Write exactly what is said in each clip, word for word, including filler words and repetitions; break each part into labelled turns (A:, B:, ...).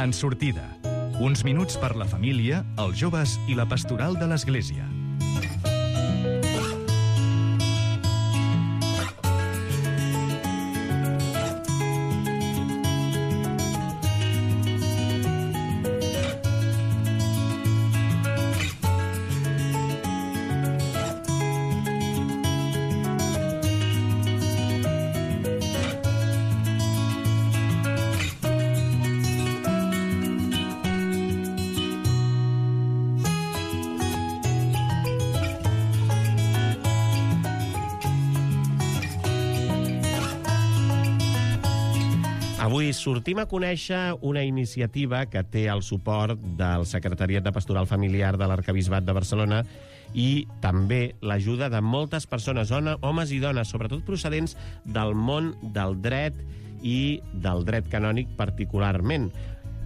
A: En sortida. Uns minuts per la família, els joves i la pastoral de l'Església.
B: Avui sortim a conèixer una iniciativa que té el suport del Secretariat de Pastoral Familiar de l'Arquebisbat de Barcelona i també l'ajuda de moltes persones, homes i dones, sobretot procedents del món del dret i del dret canònic particularment.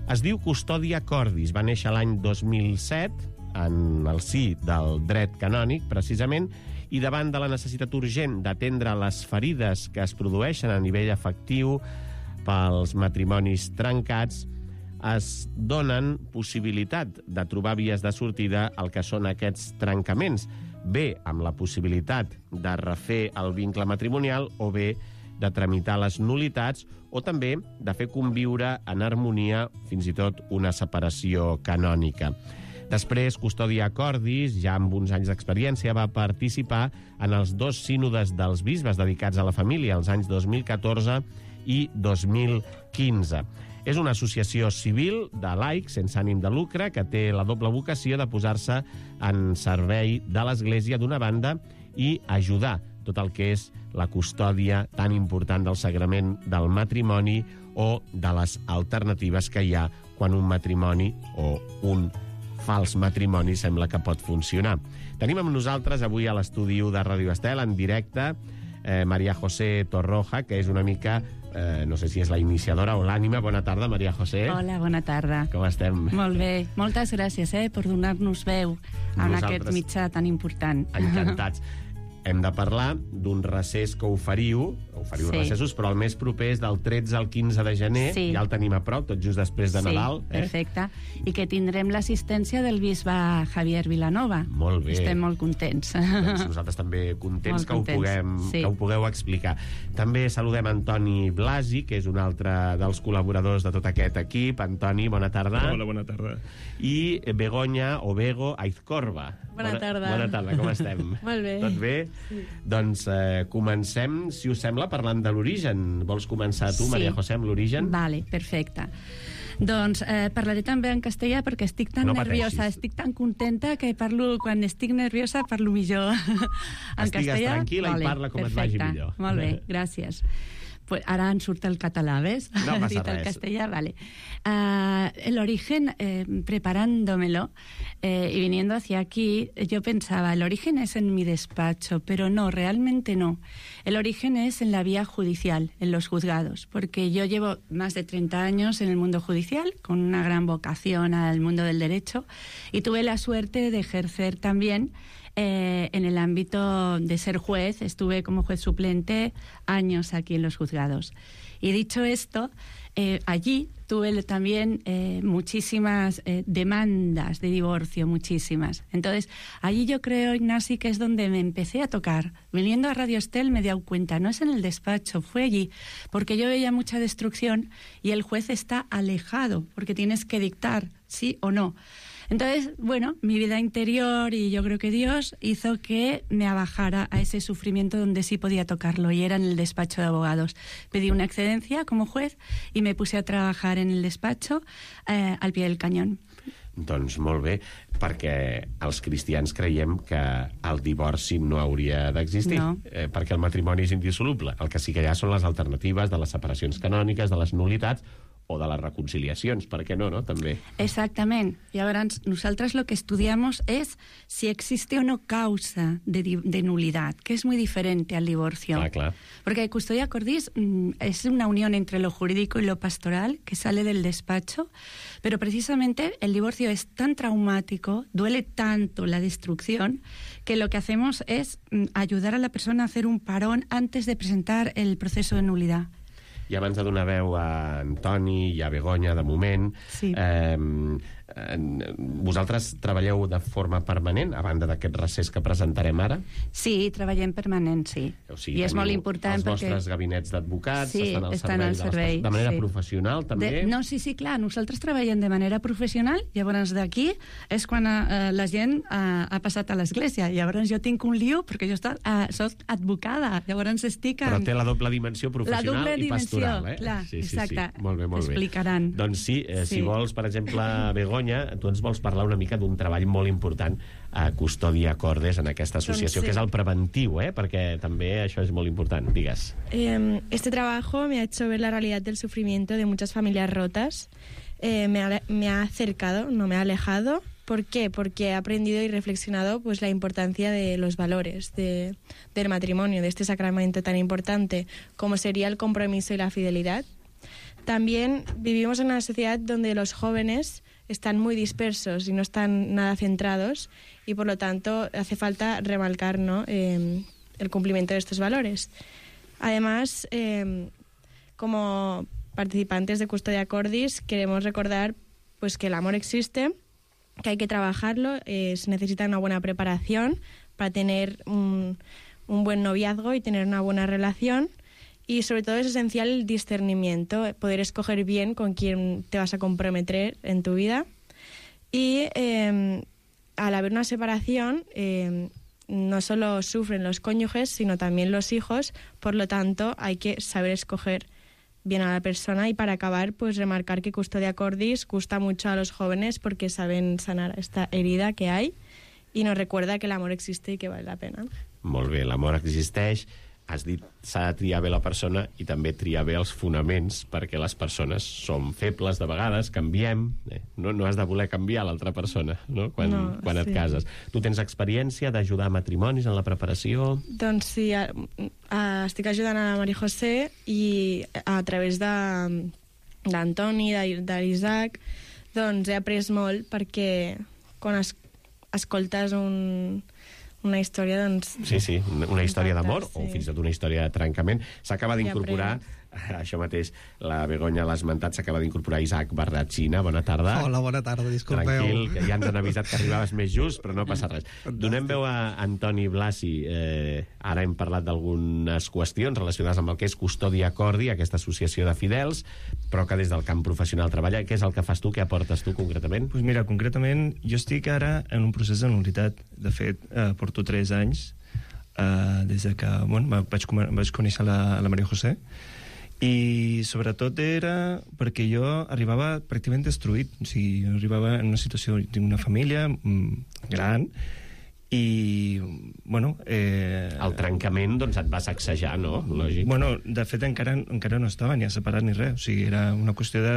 B: Es diu Custodia Cordis, va néixer l'any dos mil set, en el si del dret canònic, precisament, i davant de la necessitat urgent d'atendre les ferides que es produeixen a nivell afectiu pels matrimonis trencats, es donen possibilitat de trobar vies de sortida al que són aquests trencaments, bé amb la possibilitat de refer el vincle matrimonial o bé de tramitar les nul·litats o també de fer conviure en harmonia fins i tot una separació canònica. Després, Custodia Cordis, ja amb uns anys d'experiència, va participar en els dos sínodes dels bisbes dedicats a la família, els anys dos mil catorze i dos mil quinze. És una associació civil de laics sense ànim de lucre que té la doble vocació de posar-se en servei de l'Església d'una banda i ajudar tot el que és la custòdia tan important del sagrament del matrimoni o de les alternatives que hi ha quan un matrimoni o un fals matrimoni sembla que pot funcionar. Tenim amb nosaltres avui a l'estudi de Ràdio Estel en directe eh, Maria José Torroja, que és una mica Eh, no sé si és la iniciadora o l'ànima. Bona tarda, Maria José.
C: Hola, bona tarda.
B: Com estem?
C: Molt bé. Moltes gràcies eh, per donar-nos veu en
B: Nosaltres,
C: aquest mitjà tan important.
B: Encantats. Hem de parlar d'un recés que oferiu, oferiu sí. recessos, però el més proper és del tretze al quinze de gener, sí. ja el tenim a prop, tot just després de
C: sí,
B: Nadal. Eh?
C: Perfecte. I que tindrem l'assistència del bisbe Javier Vilanova.
B: Molt bé.
C: Estem molt contents.
B: Doncs nosaltres també contents, que ho,
C: contents.
B: Puguem,
C: Sí.
B: que ho pugueu explicar. També saludem Antoni Blasi, que és un altre dels col·laboradors de tot aquest equip. Antoni, bona tarda.
D: Hola, bona tarda.
B: I Begoña o Bego Aizcorba.
E: Bona tarda.
B: Bona tarda, com estem?
E: Molt bé.
B: Tot bé? Sí. Doncs eh, comencem, si us sembla, parlant de l'origen. Vols començar tu,
C: Sí.
B: Maria José, amb l'origen?
C: Vale, perfecte. Doncs eh, parlaré també en castellà perquè estic tan
B: No
C: nerviosa,
B: pateixis.
C: estic tan contenta que parlo, quan estic nerviosa parlo millor en
B: Estigues
C: castellà.
B: tranquil·la i parla com et vagi
C: perfecte.
B: millor.
C: Molt bé, gràcies. Pues ahora en surta el català, ¿ves?
B: No pasa
C: Ahorita el
B: res.
C: castellà, vale. Uh, el origen, eh, preparándomelo eh, y viniendo hacia aquí, yo pensaba, el origen es en mi despacho, pero no, realmente no. El origen es en la vía judicial, en los juzgados, porque yo llevo más de treinta años en el mundo judicial, con una gran vocación al mundo del derecho, y tuve la suerte de ejercer también Eh, en el ámbito de ser juez. Estuve como juez suplente años aquí en los juzgados. Y dicho esto, eh, allí tuve también eh, muchísimas eh, demandas de divorcio, muchísimas. Entonces, allí yo creo, Ignasi, que es donde me empecé a tocar. Viniendo a Radio Estel me he dado cuenta, no es en el despacho, fue allí, porque yo veía mucha destrucción y el juez está alejado, porque tienes que dictar sí o no. Entonces, bueno, mi vida interior y yo creo que Dios hizo que me abajara a ese sufrimiento donde sí podía tocarlo, y era en el despacho de abogados. Pedí una excedencia como juez y me puse a trabajar en el despacho eh, al pie del cañón.
B: Doncs molt bé, perquè els cristians creiem que el divorci no hauria d'existir,
C: no.
B: eh, perquè el matrimoni és indissoluble. El que sí que hi ha són les alternatives de les separacions canòniques, de les nul·litats o de les reconciliacions, per què no, no? També.
C: Exactament. Llavors, nosaltres lo que estudiamos es si existe o no causa de, de nulidad, que es muy diferente al divorcio.
B: Clar, clar.
C: Porque Custodia Cordis mmm, es una unión entre lo jurídico y lo pastoral que sale del despacho, pero precisamente el divorcio es tan traumático, duele tanto la destrucción, que lo que hacemos es mmm, ayudar a la persona a hacer un parón antes de presentar el proceso de nulidad.
B: I abans de donar veu a Antoni i a Begoña, de moment,
C: Sí.
B: eh, eh, vosaltres treballeu de forma permanent, a banda d'aquest recés que presentarem ara?
C: Sí, treballem permanent, sí.
B: O sigui,
C: I és
B: teniu
C: molt important
B: els
C: perquè...
B: vostres gabinets d'advocats,
C: Sí,
B: estan al
C: estan
B: servei,
C: al
B: de, les
C: servei,
B: persones, de manera
C: sí.
B: professional, també?
C: De, no, sí, sí, clar, nosaltres treballem de manera professional, llavors d'aquí és quan eh, la gent eh, ha passat a l'església. Llavors jo tinc un lío perquè jo està, eh, soc advocada, llavors estic en...
B: Però té la doble dimensió professional
C: la doble
B: i
C: dimensió,
B: pastoral, eh?
C: clar,
B: sí, sí,
C: exacte.
B: Sí. Molt bé, molt bé.
C: Explicaran.
B: Doncs sí, eh,
C: Sí.
B: si vols, per exemple, Begoña, tu ens vols parlar una mica d'un treball molt important a Custòdia Cordes en aquesta associació,
D: Doncs sí.
B: que és el preventiu, eh? Perquè també això és molt important, digues.
D: Eh, este trabajo me ha hecho ver la realidad del sufrimiento de muchas familias rotas. Eh, me, ha, me ha acercado, no me ha alejado. ¿Por qué? Porque he aprendido y reflexionado pues la importancia de los valores de, del matrimonio, de este sacramento tan importante como sería el compromiso y la fidelidad. También vivimos en una sociedad donde los jóvenes están muy dispersos y no están nada centrados y por lo tanto hace falta remarcar, ¿no? eh, el cumplimiento de estos valores. Además, eh, como participantes de Custodia Cordis queremos recordar pues que el amor existe, que hay que trabajarlo, eh, se necesita una buena preparación para tener un, un buen noviazgo y tener una buena relación. Y sobre todo es esencial el discernimiento, poder escoger bien con quién te vas a comprometer en tu vida. Y eh, al haber una separación, eh, no solo sufren los cónyuges, sino también los hijos. Por lo tanto, hay que saber escoger bien a la persona. Y para acabar, pues remarcar que Custodia Cordis gusta mucho a los jóvenes porque saben sanar esta herida que hay y nos recuerda que el amor existe y que vale la pena.
B: Molt bé, l'amor existeix. Has dit, s'ha de triar bé la persona i també triar bé els fonaments, perquè les persones som febles de vegades, canviem, eh? no, no has de voler canviar l'altra persona, no? Quan,
D: No,
B: quan et
D: sí.
B: cases. Tu tens experiència d'ajudar a matrimonis en la preparació?
D: Doncs sí, a, a, estic ajudant a la Maria José i a través de d'Antoni, de l'Isaac, doncs he après molt perquè quan es, escoltes un, una història, doncs...
B: Sí, sí, una, una història d'amor,
D: sí.
B: o fins i tot una història de trencament. S'acaba
D: I
B: d'incorporar, això mateix, la Begoña l'ha esmentat, s'acaba d'incorporar Isaac Barratxina. Bona tarda.
E: Hola, bona tarda, disculpeu.
B: Tranquil, que ja ens han avisat que arribaves més just, però no passa res. Donem veu a Antoni Blasi. Eh, ara hem parlat d'algunes qüestions relacionades amb el que és Custòdia Cordi, aquesta associació de fidels, però que des del camp professional treballa. Què és el que fas tu? Què aportes tu, concretament?
F: Pues mira, concretament, jo estic ara en un procés de nul·litat. De fet, eh, porto tres anys eh, des de que bueno, vaig, vaig conèixer la, la Maria José, i sobretot era perquè jo arribava pràcticament destruït. O sigui, jo arribava en una situació d'una família mm, gran i, bueno... Eh,
B: el trencament, doncs, et va sacsejar, no? Lògic.
F: Bueno, de fet, encara, encara no estava ni separat ni res. O sigui, era una qüestió de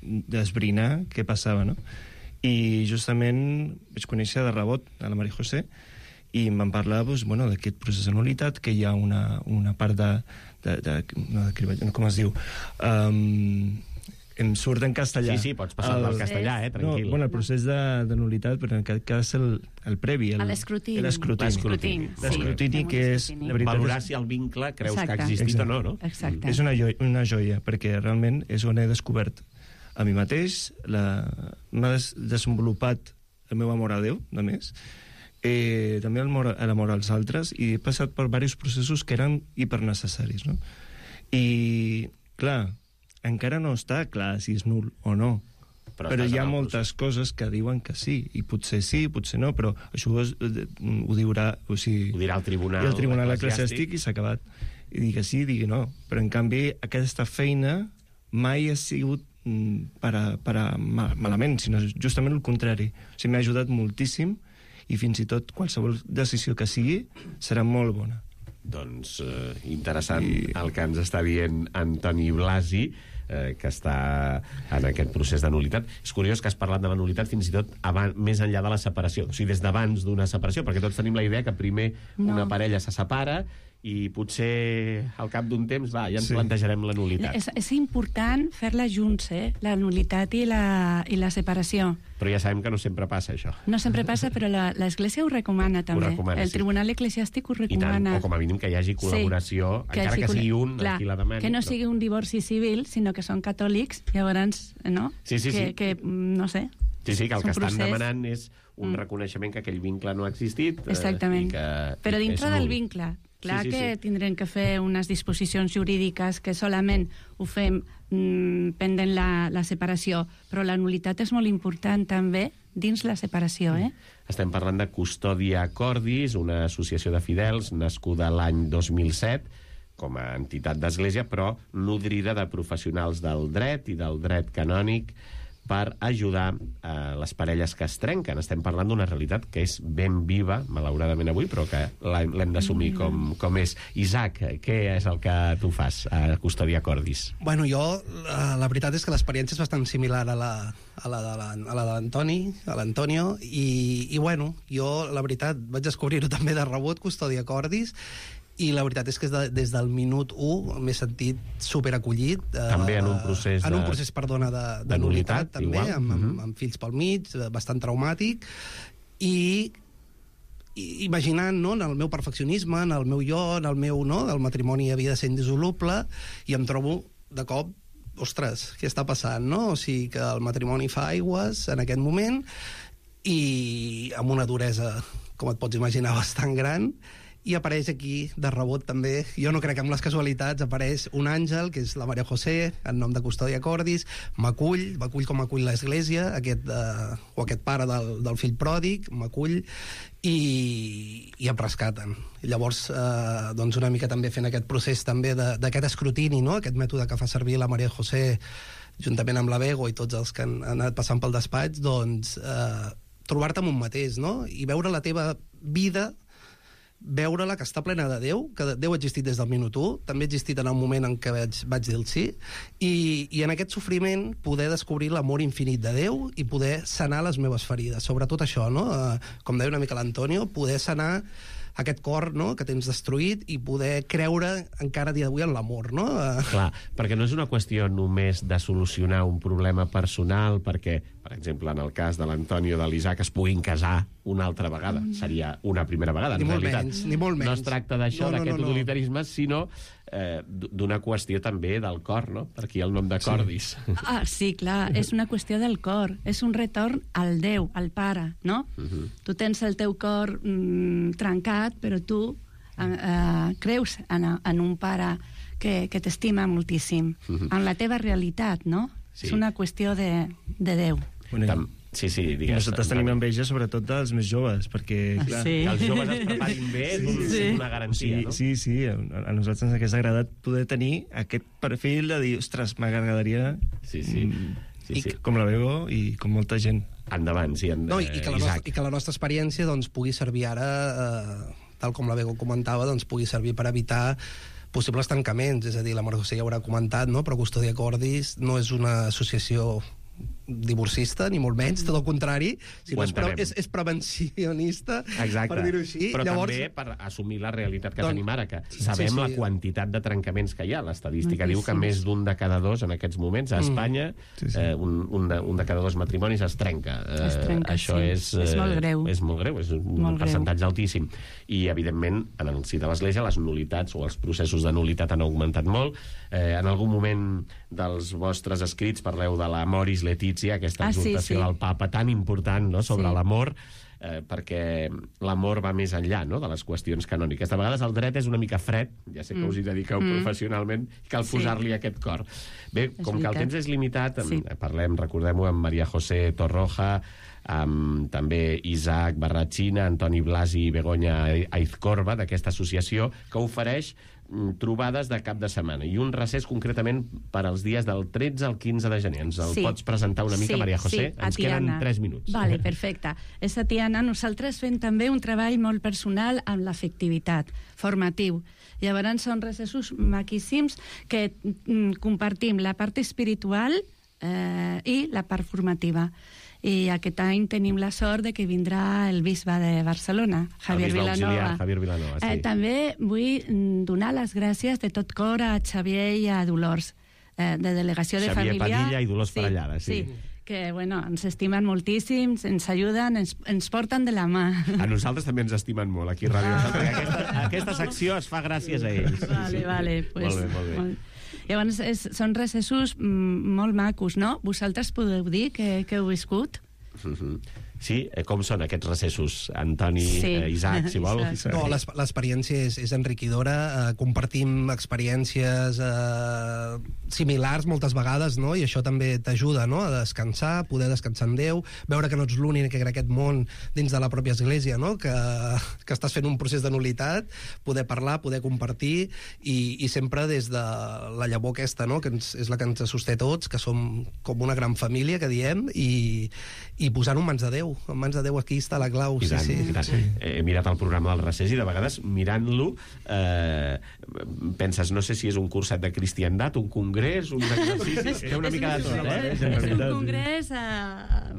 F: d'esbrinar què passava, no? I justament vaig conèixer de rebot a la Maria José i em van parlar doncs, bueno, d'aquest procés de nul·litat, que hi ha una, una part de... de, de, no, de com es diu? Um, em surt en castellà.
B: Sí, sí, pots passar del castellà, eh? Tranquil.
F: No, bueno, el procés de, de nul·litat, però en aquest cas el, el previ. El,
C: l'escrutini.
F: L'escrutini.
B: L'escrutini, sí.
F: L'escrutini, que és... La veritat,
B: valorar
F: és,
B: si el vincle creus
C: Exacte.
B: que ha existit
F: Exacte.
B: o no, no?
C: Exacte.
F: és una joia, una joia, perquè realment és on he descobert a mi mateix, la, m'ha des, desenvolupat el meu amor a Déu, de més, eh, també l'amor als altres, i he passat per diversos processos que eren hipernecessaris, no? I, clar, encara no està clar si és nul o no,
B: Però,
F: però, però hi ha
B: estàs en el
F: moltes coses que diuen que sí, i potser sí, potser no, però això ho, ho, diurà, o sigui,
B: Ho dirà el tribunal
F: i el tribunal
B: eclesiàstic.
F: eclesiàstic i s'ha acabat. I digui sí, digui no. Però, en canvi, aquesta feina mai ha sigut per a, per a mal, malament, sinó justament el contrari. O sigui, m'ha ajudat moltíssim i fins i tot qualsevol decisió que sigui serà molt bona.
B: Doncs eh, interessant
F: I...
B: el que ens està dient Antoni Blasi, eh, que està en aquest procés de nul·litat. És curiós que has parlat de la nul·litat fins i tot abans, més enllà de la separació, o sigui, des d'abans d'una separació, perquè tots tenim la idea que primer
C: No.
B: una parella se separa i potser al cap d'un temps, va, ja ens
F: Sí.
B: plantejarem la nulitat.
C: És, és important fer-la junts, eh? La nulitat i la, i la separació.
B: Però ja sabem que no sempre passa, això.
C: No sempre passa, però la- l'Església ho recomana, també.
B: recomana,
C: el
B: sí.
C: Tribunal Eclesiàstic ho
B: I tant,
C: recomana.
B: o com a mínim que hi hagi col·laboració,
C: Sí,
B: encara
C: hagi
B: que
C: col·la-
B: sigui un
C: Clar,
B: qui la demani.
C: que no
B: però-
C: sigui un divorci civil, sinó que són catòlics, llavors, no?
B: Sí, sí,
C: que,
B: sí.
C: que, mm, no sé.
B: Sí, sí, que el
C: és
B: que
C: un
B: estan
C: procés.
B: demanant és un
C: Mm.
B: reconeixement que aquell vincle no ha existit. eh,
C: Exactament.
B: i que,
C: Però
B: i que
C: dintre
B: és
C: del
B: nul.
C: vincle. Clar
B: Sí, sí,
C: que
B: sí.
C: tindrem que fer unes disposicions jurídiques que solament ho fem mm, pendent la, la separació, però la nulitat és molt important també dins la separació, eh?
B: Estem parlant de Custòdia Cordis, una associació de fidels nascuda l'any dos mil set com a entitat d'església, però nodrida de professionals del dret i del dret canònic per ajudar a les parelles que es trenquen. Estem parlant d'una realitat que és ben viva, malauradament avui, però que l'hem l'hem d'assumir com, com és. Isaac, què és el que tu fas a Custòdia Cordis?
E: Bueno, jo, la, la veritat és que l'experiència és bastant similar a la, a la de la- a la de l'Antoni, a l'Antonio, i, i bueno, jo, la veritat, vaig descobrir-ho també de rebot, Custòdia Cordis, i la veritat és que de, des del minut u m'he sentit superacollit. Eh,
B: També en un procés
E: En un
B: de-
E: procés, perdona, de, de,
B: de
E: nulitat,
B: nul·litat,
E: també,
B: igual.
E: amb, amb,
B: Mhm.
E: amb fills pel mig, eh, bastant traumàtic, i i- imaginant, no, en el meu perfeccionisme, en el meu jo, en el meu, no, el matrimoni havia de ser indissoluble, i em trobo, de cop, ostres, què està passant, no? O sigui, que el matrimoni fa aigües en aquest moment, i amb una duresa, com et pots imaginar, bastant gran, i apareix aquí, de rebot també, jo no crec en les casualitats, apareix un àngel, que és la Maria José, en nom de Custòdia Cordis, m'acull, m'acull com acull l'Església, aquest, eh, o aquest pare del, del fill pròdig, m'acull, i, i em rescaten. I llavors, eh, doncs una mica també fent aquest procés també de- d'aquest escrutini, no? Aquest mètode que fa servir la Maria José, juntament amb la Bego i tots els que han, han anat passant pel despatx, doncs eh, trobar-te amb un mateix, no? I veure la teva vida, veure-la que està plena de Déu, que Déu ha existit des del minut u, també ha existit en el moment en què vaig, vaig dir el sí, i, i en aquest sofriment poder descobrir l'amor infinit de Déu i poder sanar les meves ferides. Sobretot això, no? Eh, com deia una mica l'Antonio, poder sanar aquest cor, no?, que tens destruït, i poder creure encara a dia d'avui en l'amor, no? Eh,
B: Clar, perquè no és una qüestió només de solucionar un problema personal, perquè, per exemple, en el cas de l'Antonio i de l'Isaac es puguin casar una altra vegada. Seria una primera vegada, en
E: Ni molt
B: realitat.
E: menys, ni molt
B: No
E: menys.
B: es tracta d'això,
E: No, no,
B: d'aquest
E: no, no.
B: utilitarisme, sinó eh, d- d'una qüestió també del cor, no? Per aquí el nom de Cordis.
C: Ah, sí, clar, és una qüestió del cor, és un retorn al Déu, al Pare, no?
B: Mhm.
C: Tu tens el teu cor mm, trencat, però tu eh, eh, creus en, en un Pare que, que t'estima moltíssim,
B: Mhm.
C: en la teva realitat, no?
B: Sí.
C: És una qüestió de, de Déu.
F: Bueno, i-
B: Tam- Sí, sí,
F: I
B: digues.
F: nosaltres tenim enveja sobretot dels més joves, perquè...
C: Ah,
F: clar,
C: sí.
B: Que els joves es preparin bé és, un,
C: Sí.
B: és una
F: Sí,
B: garantia, no?
F: sí, sí, a, a nosaltres ens hagués agradat poder tenir aquest perfil de dir, ostres, m'agradaria
B: Sí, sí.
F: mm,
B: Sí, sí.
F: com la Bego i com molta gent.
B: Endavant, sí, en,
E: No, i, i, que la
B: Isaac.
E: nostra, i que la nostra experiència doncs, pugui servir ara, eh, tal com la Bego comentava, doncs, pugui servir per evitar possibles tancaments. És a dir, la Maria José ja haurà comentat, no? Però Custòdia Cordis no és una associació divorcista, ni molt menys, tot el contrari, sinó
B: Ho
E: és, pre
B: entenem.
E: és, és prevencionista,
B: Exacte.
E: per dir-ho així.
B: Però
E: Llavors,
B: també per assumir la realitat que
E: Doncs-
B: tenim ara, que
E: Sí,
B: sabem
E: sí.
B: la quantitat de trencaments que hi ha. L'estadística diu que
C: Moltíssims.
B: més d'un de cada dos en aquests moments a Espanya,
F: Sí, sí.
B: eh, un, un, de, un de cada dos matrimonis es trenca. Eh,
C: Es trenca,
B: això
C: sí.
B: és,
C: És
B: eh,
C: molt greu.
B: És molt greu, és un
C: Molt
B: percentatge altíssim. I, evidentment, en el si de l'Església, les nulitats o els processos de nulitat han augmentat molt. Eh, en algun moment dels vostres escrits parleu de la Moris Letizia, aquesta
C: Ah, sí,
B: exhortació
C: sí.
B: del papa tan important, no?, sobre
C: Sí.
B: l'amor, eh, perquè l'amor va més enllà, no?, de les qüestions canòniques. De vegades el dret és una mica fred, ja sé que us hi dediqueu
C: Mm.
B: professionalment, i cal
C: Sí.
B: posar-li aquest cor. Bé, com que el
C: veritat.
B: temps és limitat,
C: Sí.
B: eh, parlem, recordem-ho, amb Maria José Torroja, amb també Isaac Barratxina, Antoni Blasi i Begoña Aizcorba, d'aquesta associació, que ofereix mm, trobades de cap de setmana i un recés concretament per als dies del tretze al quinze de gener. Ens el
C: Sí.
B: pots presentar una mica,
C: Sí,
B: Maria José?
C: sí, a
B: Ens
C: Tiana.
B: queden tres minuts.
C: Vale, perfecte. És a Tiana. Nosaltres fem també un treball molt personal amb l'afectivitat, formatiu. Llavors són recessos maquíssims que mm, compartim la part espiritual eh, i la part formativa. i aquest any tenim la sort de que vindrà el bisbe de Barcelona, Javier
B: bisbe
C: Vilanova.
B: auxiliar, Javier Vilanova, sí.
C: Eh, també vull mm, donar les gràcies de tot cor a Xavier i a Dolors, eh, de Delegació de
B: Xavier
C: Família.
B: Padilla i Dolors
C: sí,
B: Parellada, sí.
C: sí. Que, bueno, ens estimen moltíssim, ens ajuden, ens, ens porten de la mà.
B: A nosaltres també ens estimen molt, aquí a Ràdio
C: Ah.
B: Nacional, perquè aquesta, aquesta secció es fa gràcies a ells.
C: Vale, vale. Pues,
B: molt bé, molt bé.
C: Molt... Llavors, és, són recessos mm, molt macos, no? Vosaltres podeu dir que, que heu viscut?
B: Mhm. Sí? Eh, Com són aquests recessos, Antoni,
C: Sí.
B: eh, Isaac, si vol?
C: Isaac.
E: No, l'es- l'experiència és, és enriquidora, eh, compartim experiències eh, similars moltes vegades, no? I això també t'ajuda, no?, a descansar, poder descansar en Déu, veure que no ets l'únic en aquest món dins de la pròpia església, no?, que, que estàs fent un procés de nul·litat, poder parlar, poder compartir, i, i sempre des de la llavor aquesta, no?, que ens, és la que ens sosté tots, que som com una gran família, que diem, i, i posant-ho en mans de Déu. En mans de Déu, aquí està la clau.
B: I tant,
E: sí, sí.
B: i tant. He mirat el programa del recés i de vegades mirant-lo eh, penses, no sé si és un curset de cristiandat, un congrés, un exercici, té una mica de tot, eh?
C: És un congrés a,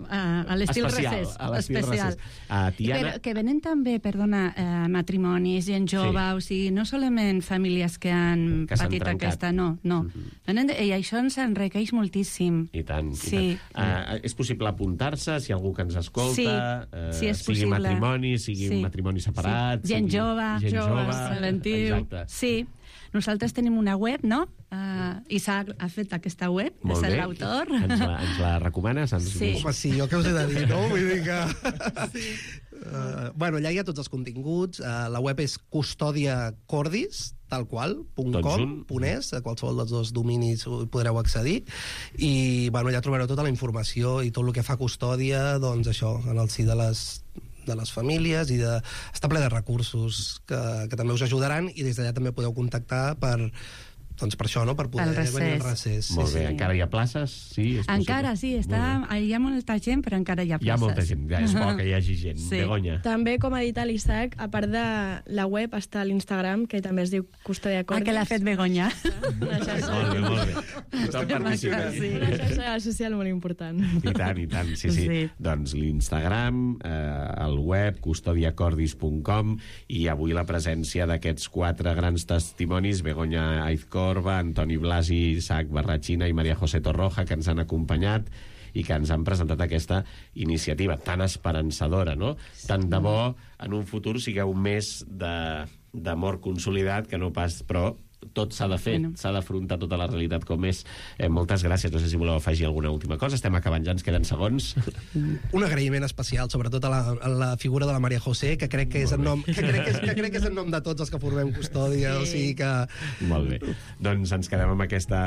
C: a, a l'estil
B: Especial,
C: recés.
B: a l'estil
C: especial.
B: recés. A Tiana...
C: Però que venen també, perdona, eh, matrimonis, gent jove,
B: Sí.
C: o sigui, no solament famílies que han
B: Que s'han
C: patit
B: trencat.
C: aquesta, no, no. Venen de, I això ens enriqueix moltíssim.
B: I tant,
C: Sí.
B: i tant. Uh, és possible apuntar-se, si algú que ens escolta,
C: Sí,
B: eh,
C: sí, és
B: sigui
C: possible.
B: matrimoni, sigui
C: Sí.
B: un matrimoni separat...
C: Sí. Gent
B: sigui
C: jove,
B: gent
C: jove,
B: jove,
C: preventiu.
B: Exacte.
C: Sí. Nosaltres tenim una web, no? Uh, Isaac ha fet aquesta web,
B: Molt
C: és
B: bé.
C: l'autor.
B: Ens la, ens la recomanes? Ens...
C: Sí.
E: Home, sí, jo què us he de dir, no? Vull dir que... Sí. Uh, bueno, allà hi ha tots els continguts. Uh, la web és Custòdia Cordis, tal qual, punt
B: Tot
E: com,
B: junt.
E: punt es, a qualsevol dels dos dominis hi podreu accedir. I, bueno, allà trobareu tota la informació i tot el que fa custòdia, doncs això, en el si de les de les famílies, i de... està ple de recursos que, que també us ajudaran, i des d'allà també podeu contactar per, doncs per això, no?, per poder
C: Pel recés.
E: venir al recés.
B: Molt bé,
C: sí.
B: encara hi ha places? Sí, és possible.
C: Encara, sí, està,
B: Molt bé.
C: hi ha molta gent, però encara hi ha places.
B: Hi ha molta gent, ja és bo que hi hagi gent.
C: Sí.
B: Begoña.
D: També, com ha dit l'Isaac, a part de la web està l'Instagram, que també es diu Custòdia
C: Ah,
D: Cordis.
C: que l'ha fet Begoña.
D: Una xarxa,
B: Molt bé, molt bé. Tothom participa aquí.
C: Sí.
D: una xarxa social molt important.
B: I tant, i tant, sí, sí.
C: Sí.
B: Doncs l'Instagram, eh, el web, custòdia cordis punt com, i avui la presència d'aquests quatre grans testimonis, Begoña Aizcorba, Antoni Blasi, Isaac Barrachina i Maria José Torroja, que ens han acompanyat i que ens han presentat aquesta iniciativa tan esperançadora, no? Tant de bo en un futur sigueu més de d'amor consolidat que no pas, però tot s'ha de fer,
C: Bueno.
B: s'ha d'afrontar tota la realitat com és. Eh, moltes gràcies, no sé si voleu afegir alguna última cosa, estem acabant, ja ens queden segons.
E: Un agraïment especial, sobretot a la, a la figura de la Maria José, que crec que és en nom, que crec que és, que crec que és en nom de tots els que formem custòdia, sí. O sigui que...
B: Molt bé. Doncs ens quedem amb, aquesta,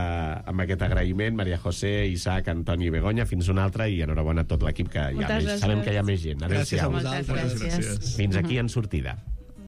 B: amb aquest agraïment. Maria José, Isaac, Antoni i Begoña. Fins una altra i enhorabona a tot l'equip, que hi ha
D: Moltes
B: més,
D: gràcies.
B: sabem que hi ha més gent.
E: Gràcies a
B: Adéu-siau.
E: vosaltres.
C: Moltes gràcies.
B: Fins aquí en sortida.